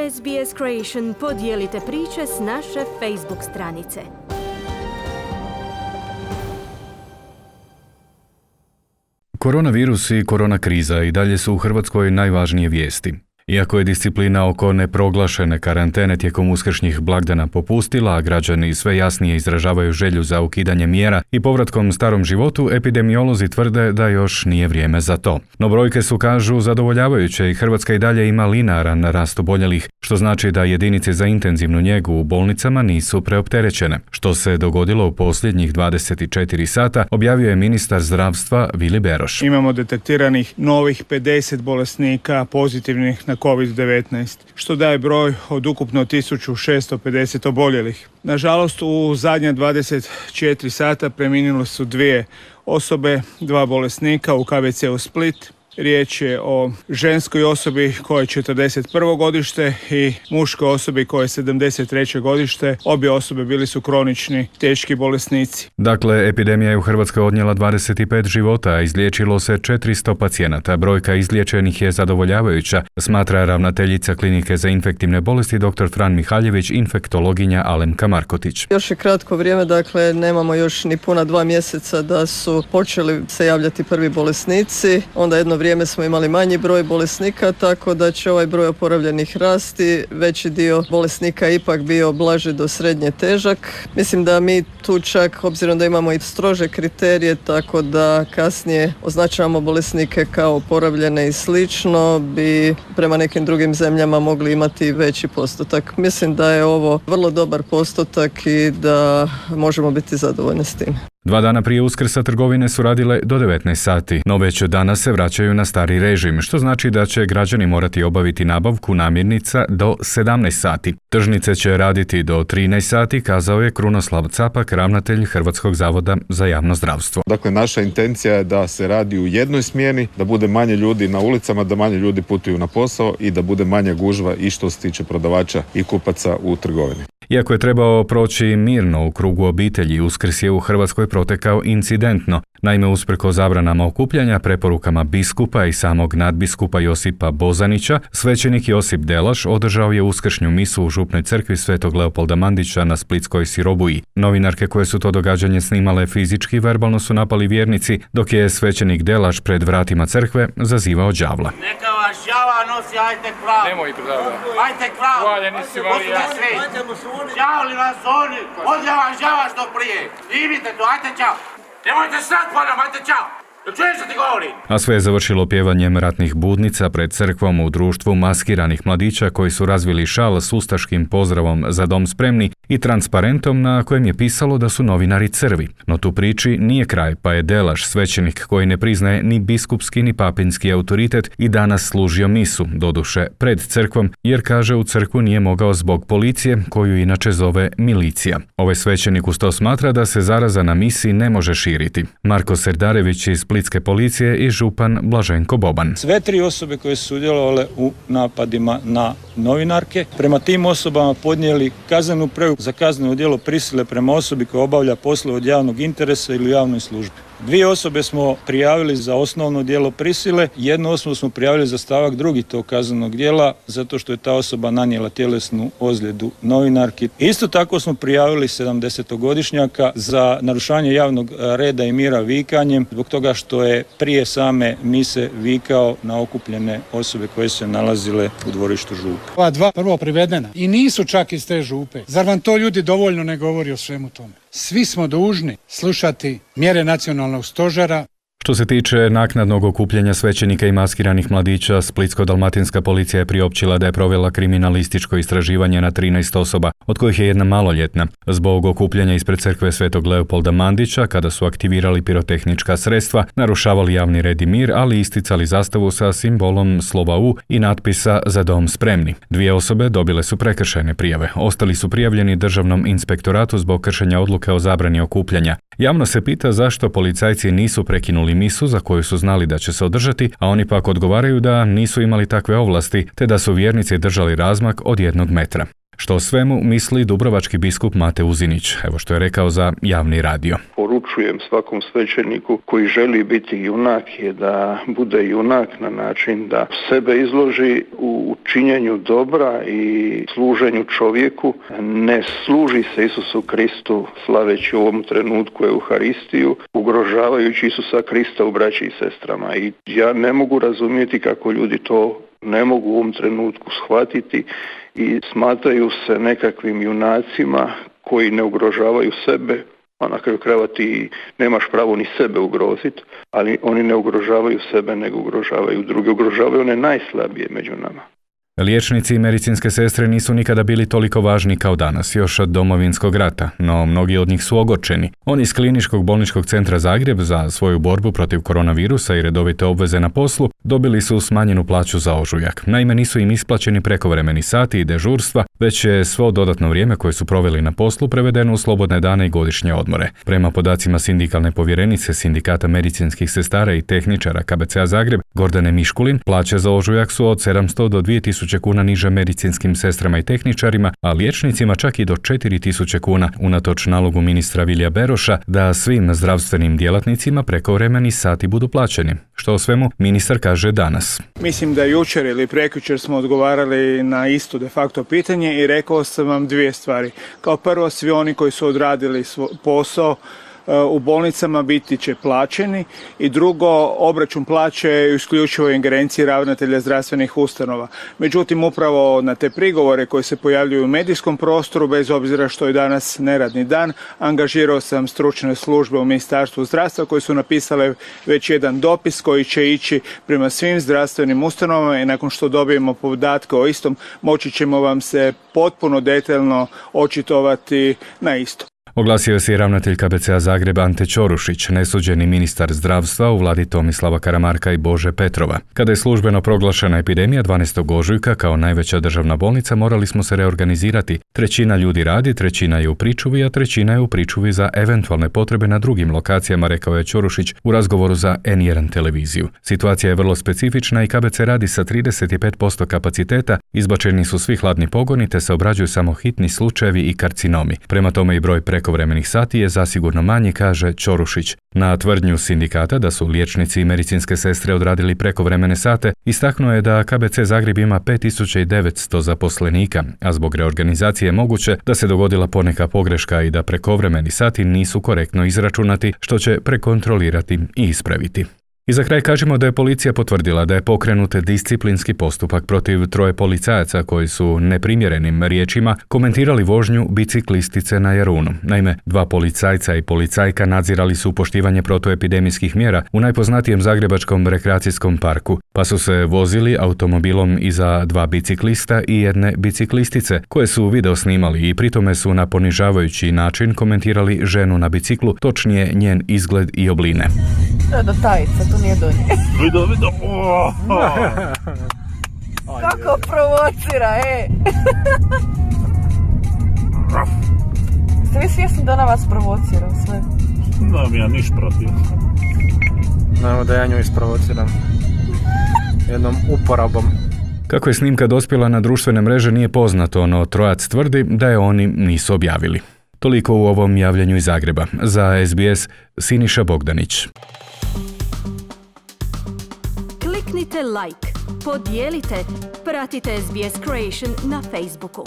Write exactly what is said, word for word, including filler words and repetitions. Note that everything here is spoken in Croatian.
S B S Creation podijelite priče s naše Facebook stranice. Koronavirus i korona kriza i dalje su u Hrvatskoj najvažnije vijesti. Iako je disciplina oko neproglašene karantene tijekom uskršnjih blagdana popustila, a građani sve jasnije izražavaju želju za ukidanje mjera i povratkom starom životu, epidemiolozi tvrde da još nije vrijeme za to. No brojke su, kažu, zadovoljavajuće i Hrvatska i dalje ima linearan rast oboljelih, što znači da jedinice za intenzivnu njegu u bolnicama nisu preopterećene. Što se dogodilo u posljednjih dvadeset četiri sata, objavio je ministar zdravstva Vili Beroš. Imamo detektiranih novih pedeset bolesnika pozitivnih na kovid devetnaest, što daje broj od ukupno tisuću šesto pedeset oboljelih. Nažalost, u zadnja dvadeset četiri sata preminule su dvije osobe, dva bolesnika u K V C-u Split. Riječ je o ženskoj osobi koja je četrdeset prvo godište i muškoj osobi koja je sedamdeset treće godište. Obje osobe bili su kronični, teški bolesnici. Dakle, epidemija je u Hrvatskoj odnijela dvadeset pet života, a izliječilo se četiristo pacijenata. Brojka izliječenih je zadovoljavajuća, smatra ravnateljica Klinike za infektivne bolesti dr. Fran Mihaljević, infektologinja Alemka Markotić. Još je kratko vrijeme, dakle nemamo još ni puna dva mjeseca da su počeli se javljati prvi bolesnici. Onda jedno vrijeme vrijeme smo imali manji broj bolesnika, tako da će ovaj broj oporavljenih rasti. Veći dio bolesnika ipak bio blaži do srednje težak. Mislim da mi tu čak, obzirom da imamo i strože kriterije, tako da kasnije označavamo bolesnike kao oporavljene i slično, bi prema nekim drugim zemljama mogli imati veći postotak. Mislim da je ovo vrlo dobar postotak i da možemo biti zadovoljni s tim. Dva dana prije Uskrsa trgovine su radile do devetnaest sati, no već danas se vraćaju na stari režim, što znači da će građani morati obaviti nabavku namirnica do sedamnaest sati. Tržnice će raditi do trinaest sati, kazao je Krunoslav Capak, ravnatelj Hrvatskog zavoda za javno zdravstvo. Dakle, naša intencija je da se radi u jednoj smjeni, da bude manje ljudi na ulicama, da manje ljudi putuju na posao i da bude manja gužva i što se tiče prodavača i kupaca u trgovini. Iako je trebao proći mirno u krugu obitelji, Uskrs je u Hrvatskoj protekao incidentno. Naime, usprkos zabranama okupljanja, preporukama biskupa i samog nadbiskupa Josipa Bozanića, svećenik Josip Delaš održao je uskršnju misu u župnoj crkvi Svetog Leopolda Mandića na Splitskoj Sirobuji. Novinarke koje su to događanje snimale fizički verbalno su napali vjernici, dok je svećenik Delaš pred vratima crkve zazivao đavla. Neka vas đava nosi, ajte k vragu. Nemoj pravda. Ajte k vragu. Hvaljeni si Marija. Đavli vas oni, odlja vam đava što prije. Idite tu, ajte čao. Nemojte sad ponam, ajte čao. Čuješ što ti govorim? A sve je završilo pjevanjem ratnih budnica pred crkvom u društvu maskiranih mladića koji su razvili šal s ustaškim pozdravom Za dom spremni i transparentom na kojem je pisalo da su novinari crvi. No tu priči nije kraj, pa je Delaš, svećenik koji ne priznaje ni biskupski ni papinski autoritet, i danas služio misu, doduše pred crkvom, jer kaže u crkvu nije mogao zbog policije, koju inače zove milicija. Ovaj svećenik uz to smatra da se zaraza na misi ne može širiti. Marko Serdarević iz Splitske policije i župan Blaženko Boban. Sve tri osobe koje su sudjelovale u napadima na novinarke, prema tim osobama podnijeli kaznenu prijavu za kazneno djelo prisile prema osobi koja obavlja poslove od javnog interesa ili u javnoj službi. Dvije osobe smo prijavili za osnovno djelo prisile, jednu osobu smo prijavili za stavak drugi tog kaznenog djela, zato što je ta osoba nanijela tjelesnu ozljedu novinarki. Isto tako smo prijavili sedamdesetogodišnjaka za narušavanje javnog reda i mira vikanjem, zbog toga što je prije same mise vikao na okupljene osobe koje se nalazile u dvorištu župe. Ova dva prvo privedena i nisu čak iz te župe. Zar vam to ljudi dovoljno ne govori o svemu tome? Svi smo dužni slušati mjere nacionalnog stožera. Što se tiče naknadnog okupljanja svećenika i maskiranih mladića, Splitsko-dalmatinska policija je priopćila da je provela kriminalističko istraživanje na trinaest osoba, od kojih je jedna maloljetna. Zbog okupljanja ispred crkve Svetog Leopolda Mandića, kada su aktivirali pirotehnička sredstva, narušavali javni red i mir, ali isticali zastavu sa simbolom slova U i natpisa Za dom spremni. Dvije osobe dobile su prekršajne prijave. Ostali su prijavljeni Državnom inspektoratu zbog kršenja odluke o zabrani okupljanja. Javno se pita zašto policajci nisu prekinuli misu za koju su znali da će se održati, a oni pak odgovaraju da nisu imali takve ovlasti, te da su vjernici držali razmak od jednog metra. Što o svemu misli dubrovački biskup Mate Uzinić, evo što je rekao za javni radio. Poručujem svakom svećeniku koji želi biti junak je da bude junak na način da sebe izloži u činjenju dobra i služenju čovjeku. Ne služi se Isusu Kristu slaveći u ovom trenutku Euharistiju, ugrožavajući Isusa Krista u braći i sestrama. I ja ne mogu razumjeti kako ljudi to ne mogu u ovom trenutku shvatiti i smatraju se nekakvim junacima koji ne ugrožavaju sebe, a na kraju krajeva ti nemaš pravo ni sebe ugroziti, ali oni ne ugrožavaju sebe, nego ugrožavaju druge, ugrožavaju one najslabije među nama. Liječnici i medicinske sestre nisu nikada bili toliko važni kao danas, još od Domovinskog rata, no mnogi od njih su ogorčeni. Oni iz Kliničkog bolničkog centra Zagreb za svoju borbu protiv koronavirusa i redovite obveze na poslu dobili su smanjenu plaću za ožujak. Naime, nisu im isplaćeni prekovremeni sati i dežurstva, već je svo dodatno vrijeme koje su proveli na poslu prevedeno u slobodne dane i godišnje odmore. Prema podacima sindikalne povjerenice Sindikata medicinskih sestara i tehničara K B C-a Zagreb, Gordane Miškulin, plaće za ožujak su od sedamsto do dvije tisuće kuna niže medicinskim sestrama i tehničarima, a liječnicima čak i do četiri tisuće kuna, unatoč nalogu ministra Vilija Beroša da svim zdravstvenim djelatnicima prekovremeni sati budu plaćeni. Što o svemu ministar kaže danas. Mislim da jučer ili prekjučer smo odgovarali na isto de facto pitanje i rekao sam vam dvije stvari. Kao prvo, svi oni koji su odradili svoj posao u bolnicama biti će plaćeni i drugo, obračun plaće je isključivo ingerenciji ravnatelja zdravstvenih ustanova. Međutim, upravo na te prigovore koji se pojavljuju u medijskom prostoru, bez obzira što je danas neradni dan, angažirao sam stručne službe u Ministarstvu zdravstva koji su napisale već jedan dopis koji će ići prema svim zdravstvenim ustanovama i nakon što dobijemo podatke o istom, moći ćemo vam se potpuno detaljno očitovati na isto. Oglasio se i ravnatelj K B C-a Zagreb Ante Ćorušić, nesuđeni ministar zdravstva u vladi Tomislava Karamarka i Bože Petrova. Kada je službeno proglašena epidemija dvanaestog ožujka kao najveća državna bolnica, morali smo se reorganizirati. Trećina ljudi radi, trećina je u pričuvi, a trećina je u pričuvi za eventualne potrebe na drugim lokacijama, rekao je Ćorušić u razgovoru za N jedan televiziju. Situacija je vrlo specifična i K B C radi sa trideset pet posto kapaciteta, izbačeni su svi hladni pogoni te se obrađuju samo hitni slučajevi i karcinomi. Prema tome i broj prekovremenih sati je zasigurno manji, kaže Ćorušić. Na tvrdnju sindikata da su liječnici i medicinske sestre odradili prekovremene sate, istaknuo je da K B C Zagreb ima pet tisuća devetsto zaposlenika, a zbog reorganizacije je moguće da se dogodila poneka pogreška i da prekovremeni sati nisu korektno izračunati, što će prekontrolirati i ispraviti. I za kraj kažemo da je policija potvrdila da je pokrenut disciplinski postupak protiv troje policajaca koji su neprimjerenim riječima komentirali vožnju biciklistice na Jarunu. Naime, dva policajca i policajka nadzirali su poštivanje protuepidemijskih mjera u najpoznatijem zagrebačkom rekreacijskom parku, pa su se vozili automobilom iza dva biciklista i jedne biciklistice koje su video snimali i pritome su na ponižavajući način komentirali ženu na biciklu, točnije njen izgled i obline. To je do tajica, to nije do nje. Vido, vido. Kako provocira, e! Ste vi svjesni da ona vas provocira sve? Nemam ja niš protiv. Znamo da ja nju isprovociram jednom uporabom. Kako je snimka dospjela na društvene mreže nije poznato, no trojac tvrdi da je oni nisu objavili. Toliko u ovom javljanju iz Zagreba. Za S B S, Siniša Bogdanić. Kliknite like, podijelite, pratite S B S Creation na Facebooku.